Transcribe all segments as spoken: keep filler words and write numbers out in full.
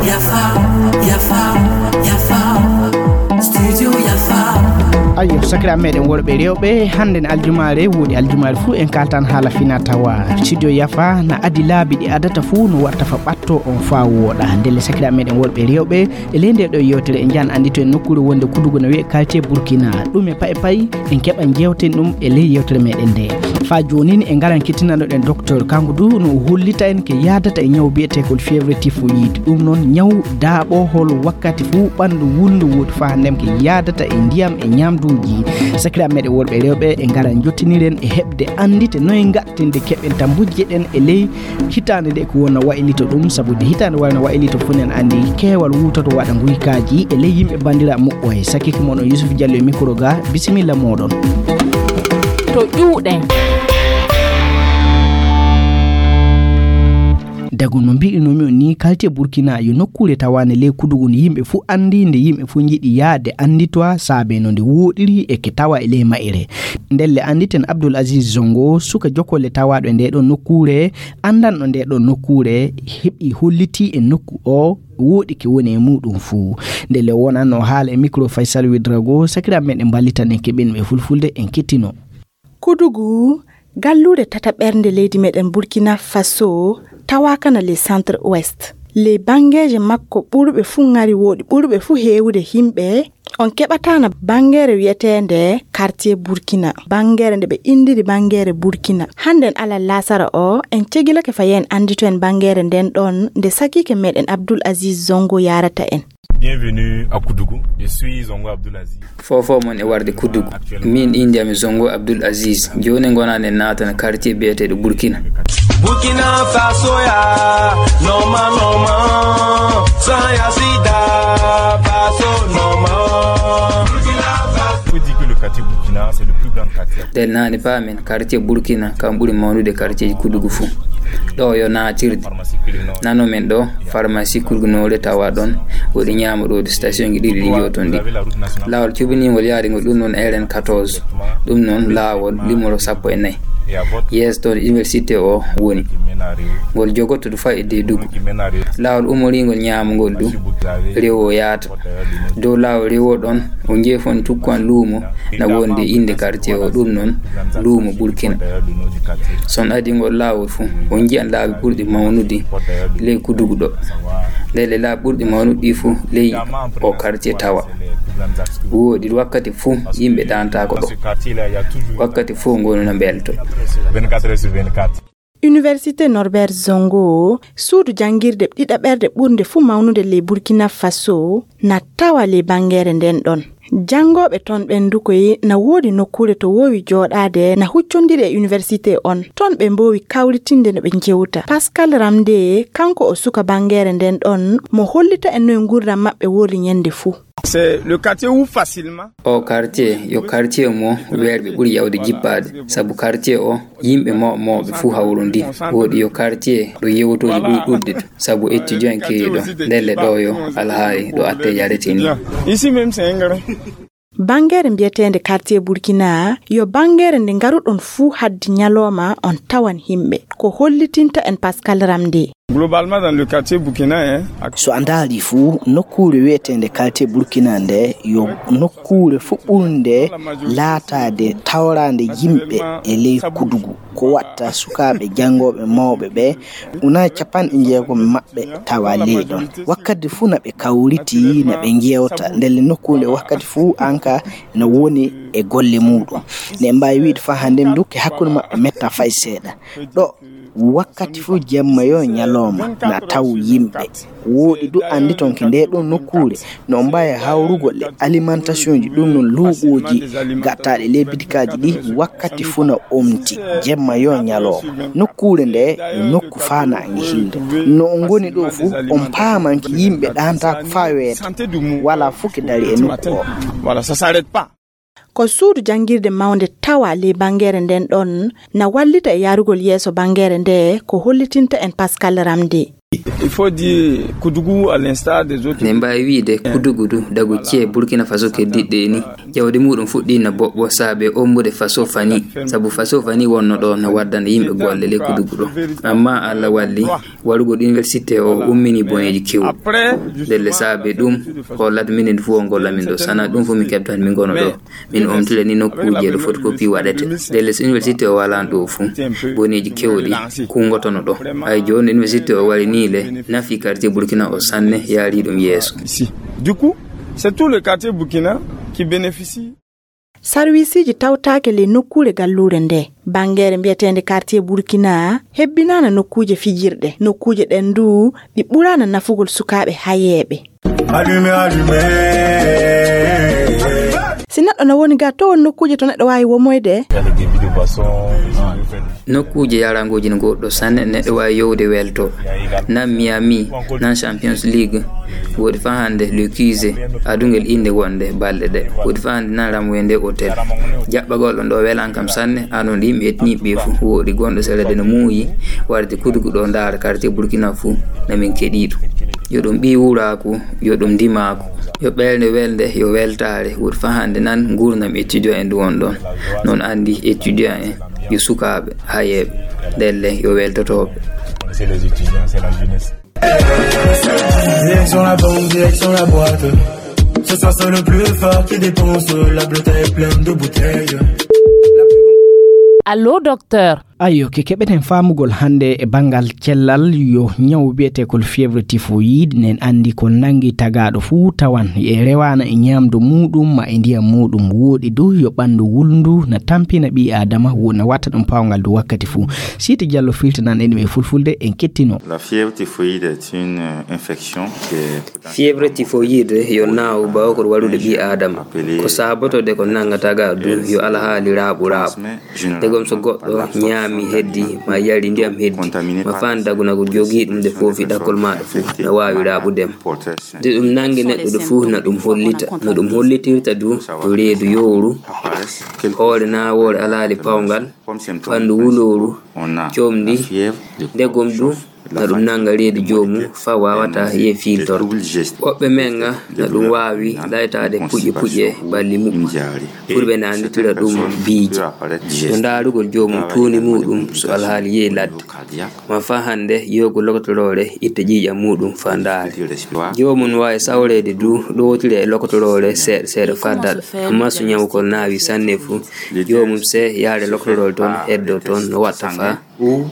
Yafa, yafa, yafa. Studio Yafa. Ayo, sakiraaɓe meɗen worɓe e rewɓe, hannden aljumaare, woodi aljumaare fuu en kaaltan haala fina tawa. Studio Yafa na adi laabi ɗi adata fuu no watta fa ɓatto on faa wooɗa. Ndelle sakiraaɓe meɗen worɓe e rewɓe, e ley nde ɗo yewtere en njahan anndito en nokkuure wonde Kudugu na wi'e quartier Burkina. Ɗum e pay pay en keɓa jewten ɗum e ley yewtere meɗen nde. Faa jooni en ngaran kettinanoɗen docteur, kanko du no o hollita en ke yaadata e ñaw biyeteekol fièvre typhoïde. Ɗum noon ñaw daaɓo hol wakkati fuu ɓanndu wulndu woodi faa hannden ke yaadata e ndiyam e ñaamduuji. Sakiraaɓe meɗen worɓe e rewɓe, en ngaran jottiniren e heɓde anndite noy ngattinde keɓen tambujje ɗen e ley hitaande nde ko wona waylito ɗum, sabu nde hitaande wayno waylito fof nen anndi keewal wutoto waɗa nguykaaji e ley yimɓe banndiraaɓe moƴƴo. Sakiike mon on Yusuf Diallo e micro ga, bisimilla mooɗon. To ƴuuɗe. Dagu no mbi'inoomi on ni, quartier Burkina yo nokkuure tawaande ley Kudugu nde yimɓe fuu anndi, nde yimɓe fuu njiɗi yahde annditowa saabe no nde wooɗiri e ke tawa e ley ma'ere. Ndelle annditen Abdoul Aziz Zongo, suka jokolle tawaaɗo e nde ɗon nokkuure, anndanɗo nde ɗon nokkuure, heɓi hollitii e nokku o wooɗi ke woni e muuɗum fuu. Ndelle wonanno haala e micro Faisal Ouedraogo, sakiraaɓe meɗen mballitan en keɓin ɓe fulfulde en kettino. Kudugu, galluure tataɓerde leydi meɗen Burkina Faso, tawaaka na ley centre ouest. Ley banngeeje makko ɓurɓe fuu ŋari wooɗi, ɓurɓe fuu heewude yimɓe, on keɓataana banngeere wi'eteende quartier Burkina, banngeere nde ɓe inndiri banngeere Burkina. Hannden alal laasara o, en cegilake fa yeen anndito en banngeere nden ɗon, nde sakiike meɗen Abdoul Aziz Zongo yaarata en. Bienvenue à Kudugu. Je suis Zongo Abdoul Aziz. Fofo mon e warde Kudugu. Min innde am Zongo Abdoul Aziz. Jooni ngonaa en naatana quartier biyeteeɗo Burkina. Burkina Faso ya, normal, normal. Sans ya sida, Faso normal. Faut dire que le quartier Burkina, c'est le plus grand quartier. Nden naani paamen, quartier Burkina, kam ɓuri mawnude quartier Kudugu fuu. Ɗo yo naatirde. Nano men ɗo, pharmacie Kudugu noore tawa ɗon. Woodi ñaamo ɗo, station ji ɗiɗi ɗi njoton ɗi. Laawol cubiningol yaade ngol, ɗum noon R N quatorze. Ɗum noon laawol limoro sappo e nayi. Yeeso toon université o woni. Ngol jogoto du fayi e Dedugu. Laawol umoringol ñaamo ngol du, rewo yaata. Dow laawol rewo ɗon, o jeefon tukkuwan luumo, na wonde innde quartier o, ɗum noon luumo Burkina. Son adi ngol laawol fuu, on njiyan laabi ɓurɗi mawnude ley Kudugu ɗo. Ndelle laabi ɓurɗi mawnude ɗi fuu ley o quartier tawa. Wooɗi wakkati fuu yimɓe ɗaantaako ɗo. Wakkati fuu ngonu na mbelto. Université Norbert Zongo, suudu janngirde ɗiɗaɓerde ɓurnde fuu mawnude ley Burkina Faso, na tawa ley banngeere nden ɗon. Janngooɓe ton ɓen dukoy na woodi nokkuure to woowi jooɗaade, na huccondiri e université on. Ton ɓe mboowi kawritinde no ɓe njewta. Pascal Ramde, kanko o suka banngeere nden ɗon, mo hollita en no e nguurndam maɓɓe woori ñande fuu. C'est le quartier où facilement. O quartier, yo quartier mo weerɓe ɓuri yawde jippaade, sabu quartier o, yimɓe mawɓe mawɓe fuu hawrondi. Wooɗi yo quartier ɗo yewtooji ɓuri ɗuuɗde to, sabu étudiant keewi ɗo. Ndelle ɗo yo alhaali ɗo atte yarete ni. Ici même, c'est un grand. Banngeere mbiyeteende quartier Burkina, yo banngeere nde ngaruɗon fuu haddi ñalooma on tawan yimɓe. Ko hollitinta en Pascal Ramde. Globalement, dans le quartier Burkina, hein, ak- So a ndaari fuu, nokkuure wiyeteende quartier Burkina nde, yo nokkuure fuu ɓurnde laataade tawraande yimɓe e ley Kudugu. Ko watta sukaaɓe janngooɓe mawɓe ɓe, una capanɗe jeegom maɓɓe tawa ley ɗon. Wakkati fuu na ɓe kawriti, na ɓe njeewta. Ndelle nokkuure nde wakkati fuu anka na woni e golle muuɗum. Ne mbaawi wiide faa hannde ndukke hakkunde maɓɓe metta fay seeɗa. Ɗo wakkati fuu jemma yo ñalooma na taw yimɓe. Wooɗi du anndi ton ke nde ɗon nokkuure no mbaawi hawrugol e alimentation ji, ɗum noon luuɓooji gattaaɗi ley bitikaaji ɗi wakkati fuu na omti, jemma yo ñalooma. Nokkuure nde yo nokku faanaange hilde. No on ngoni ɗo fuu, on paamanke yimɓe ɗaantaako faa weeta. Walaa fuu ke dari e nokku o. Voilà, ça s'arrête pas. Ko suudu janngirde mawnde tawa ley banngeere nden ɗon na wallita e yaarugol yeeso banngeere nde, ko hollitinta en Pascal Ramde. Il faut dire Koudougou, à l'instar des autres. Ne mbaawi wiyde Koudougou du, dagu ci'e Burkina Faso keddiiɗe ni. Jawdi muɗum fuɗɗii na boɓɓo saabe ombude Faso fani. Sabu Faso fani wonno ɗo na waddana yimɓe golle ley Koudougou ɗo. Amma Allah walli, warugol université o ummini boneeji kewɗi. Ndelle saabe ɗum, ko ladde minen fof o golla min ɗo. Sana ɗum fof min keɓtan min gono ɗo. Min omtira ni nokkuuje ɗo photocopie waɗete. Ndelle so université o walaano ɗo fuu, boneeji kewɗi kunngotono ɗo. Hay jooni université o wari ni le, nafi quartier Burkina o sanne, yaari ɗum yeeso. Ici. Du coup, c'est tout le quartier Burkina qui bénéficie. Sarwisiiji tawtaake ley nokkuure galluure nde. Banngeere mbiyeteende quartier Burkina hebbinaana nokkuuje fijirɗe. Nokkuuje ɗen du ɗi ɓuraana nafugol sukaaɓe hayeeɓe. Allumez, allumez. Si neɗɗo na woni ga, to won nokkuuje to neɗɗo waawi womoyde? Nokkuuje yarangooji no goɗɗo sanne, neɗɗo waawi yowde welto. Nan Miami, nan Champions League, woodi fa hannde Le Cuse, adungel innde wonde balɗe ɗe. Woodi fa hannde nan Ramwende Hotel. Jaɓɓagol ɗon ɗo welan kam sanne, anon yimɓe hettiniiɓe ɓe fuu. Woodi gonɗo sere de no muuyi, warde Koudougou ɗo ndaara quartier Burkina fuu, na min keɗii ɗum. Yo ɗum ɓii wuraaku, yo ɗum ndimaaku. Yo ɓeynde welde, yo weltaare, woodi fa hannde nan nguurndam étudiant en ɗum won ɗon. Non anndi étudiant en, yo sukaaɓe, hayeeɓe, ndelle yo weltotooɓe. C'est les étudiants, c'est la jeunesse. Direction la banque, direction la boîte. Ce soir c'est le plus fort qui dépense. La blota est pleine de bouteilles. Allô, docteur. Ayyo, ke keɓeten faamugol hannde e banngal cellal, yo ñaw wiyetee ko fièvre typhoïde, nen anndi ko nanngi tagaaɗo fuu tawan e rewaana e ñaamdu muuɗum ma e ndiyam muuɗum. Wooɗi du yo ɓanndu wulndu na tampina ɓii Aadama, wo-, na watta ɗum paawngal du wakkati fuu. Siiti Jallo filtanan en ɗum e fulfulde, en kettino. La fièvre typhoïde est une, euh, infection qui est Fièvre typhoïde yo naawu bawkol waɗude ɓii Aadama. Ko saabotoo de ko nannga tagaaɗo du yo alhaali raaɓu raaɓu. Ndegam so goɗɗo ñaami heddi, ma yari ndiyam heddi, ma faan dagu na ko jogii ɗum de foofi ɗakkol maaɗa fuu, na waawi raaɓude ma. De ɗum nanngi neɗɗo de fuu, na ɗum hollita. No ɗum hollitirta du, to reedu yowru, hoore naawoore alhaali paawngal, ɓanndu wulooru, comndi, ndegom du, na ɗum nannga reedu joomum faa waawataa yi'e fiiltorde. Woɓɓe men ga na ɗum waawi laytaade puƴe puƴe balli muɓɓen. Ɓurɓe na annditira ɗum biiji. No ndaarugol joomum tuundi muuɗum so alhaali yehi ladde. Ma faa hannde yahugol lokotoroore itta ƴiiƴam muuɗum faa ndaare. Joomum no waawi sawreede du ɗowtira e lokotoroore seeɗa seeɗa faa daɗa. Amma so ñawkol naawi sanne fu, joomum see yaare lokotoroore toon heddoo toon no watta faa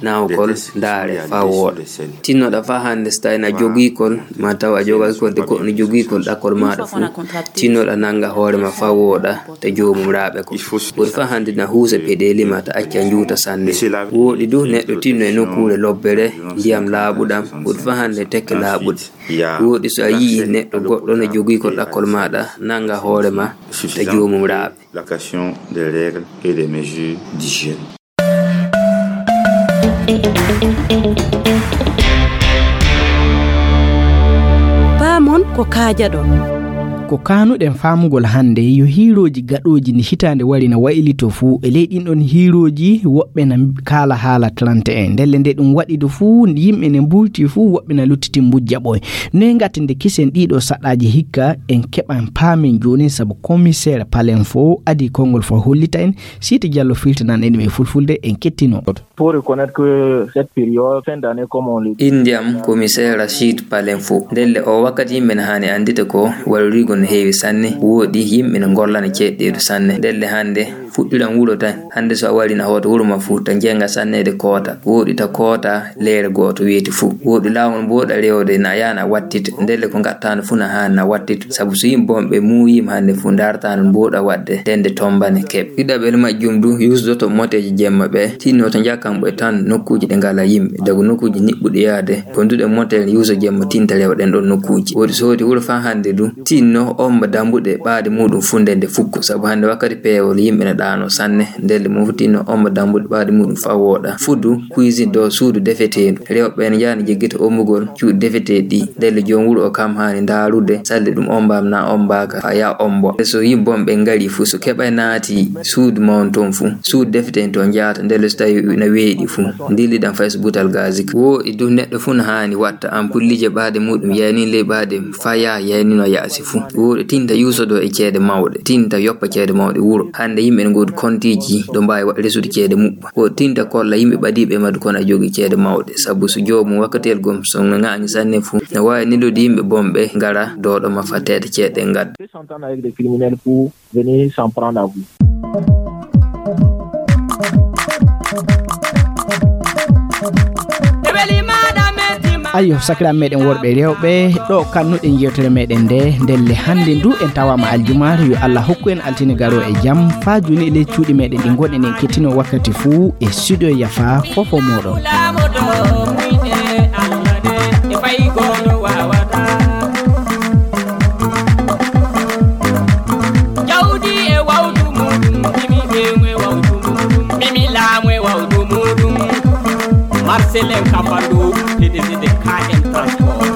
naawkol ndaare faa wooɗa. Tinnoɗa faa hannde so tawi na jogiikol, ma taw a jogaaki kol de goɗɗo no jogiikol ɗakkol maaɗa fu, tinnoɗa nannga hoore ma faa wooɗa, ta joomum raaɓe ko. Woodi faa hannde na huusa peɗeeli ma ta acca njuuta sanne. Wooɗi du neɗɗo tinno e nokkuure lobbere, ndiyam laaɓuɗam, woodi faa hannde tekke laaɓuɗe. Wooɗi so a yi'i neɗɗo goɗɗo no jogiikol ɗakkol maaɗa, nannga hoore ma, ta joomum raaɓe. L'application des règles et des mesures d'hygiène. Paamon ko kaajaɗon. Ko kaanuɗen faamugol hannde yo hiirooji gaɗooji ndi hitaande wari na waylito fuu. E ley ɗin ɗon hiirooji, woɓɓe na kaala haala trente et un. Ndelle nde ɗum waɗi du fuu, yimɓe ne mbulti fuu, woɓɓe na luttiti mbujja ɓooy. Noy ngatten nde kisen ɗiɗo saɗaaji hikka, en keɓan paamen jooni, sabu commissaire Palen fo adii konngol fo hollita en. Siiti Jallo filtanan en ɗum e fulfulde, en kettino. Pour reconnaître que cette période, fin d'année, comme on le dit, Indiyam, commissaire Rachid Palen fo. Ndelle o wakkati yimɓe ne haani anndita ko wallude no heewi sanne, wooɗi yimɓe ne ngollana ceeɗɗeedu sanne. Ndelle hannde fuɗɗiran wuro tan. Hannde so a wari na hoota wuro ma fuu, ta njenga sanneede koota. Wooɗi ta koota leere gooto weeti fuu. Wooɗi laawol mbooɗa rewde na yaana wattita. Ndelle ko ngattaano fuu na haani na wattita. Sabu so yimɓe bonɓe muuyiima hannde fuu, ndaartaano mbooɗa waɗde, nden nde tombane keɓe. Ɗiɗaɓel majjum du, yusdoto moteeji jemma ɓe, tinno to njakkan ɓe tan nokkuuji ɗi ngalaa yimɓe. Dagu nokkuuji niɓɓuɗi yaade, gonduɗe motel yuusa jemma tinta rewa ɗen ɗon nokkuuji. Wooɗi so hooti wuro faa hannde du, tinno omba dambuɗe ɓaade muuɗum fuu nden nde fukko. Sabu hannde wakkati peewol yimɓe na Ano sanne, ndelle moftinno omba dambuɗe ɓaade muɗum faa wooɗa. Fuddu, cuisine ɗo suudu defeteendu. Rewɓe ɓen yaani jeggita ombugol cuuɗi defeteeɗi ɗi. Ndelle joom wuro o kam haani ndaarude salle ɗum ombaama naa ombaaka faa yaa ombo. So yimɓe bonɓe ngari fu, so keɓay naati suudu mawnu toon fu, suudu defeteen toon njaata, ndelle so tawi na weeɗi fu, ndilliɗan fay so butal gaasi ka. Wo e dow neɗɗo fu na haani watta ampullije ɓaade muɗum yaynin ley ɓaade faa yaa yaynino yaasi fu. Wo ɗo tinta yuusodo e ceede mawɗe, tinta yoppa ceede mawɗe wuro. Hannde yimɓe ne ngoodi kontiiji ɗo mbaawi wa-, resude ceede muɓɓa. Wo tinta kolla yimɓe ɓadiiɓe e maddu kono a jogii ceede mawɗe. Sabu so joomum wakkatiyel gom so no ŋaaŋi sanne fu, no waawi neldude yimɓe bonɓe ngara dooɗo ma faa teeta ceede ɗen ngadda. S'entendre avec des criminels pour venir s'en prendre à vous. Ayo, sakiraaɓe meɗen worɓe e rewɓe, ɗo kannuɗen yewtere meɗen nde, ndelle hannde ndu en tawaama aljumaare, yo Allah hokku en altine garo e jam, faa jooni e ley cuuɗi meɗen ɗi ngonɗen en kettino wakkati fuu e studio Yafa fofo mooɗon. Jawdi e wawdu muɗum, mimi ɓeŋu e wawdu muɗum, mimi laamu e wawdu muɗum. Marcel en Kafando, P D G de K M Transport.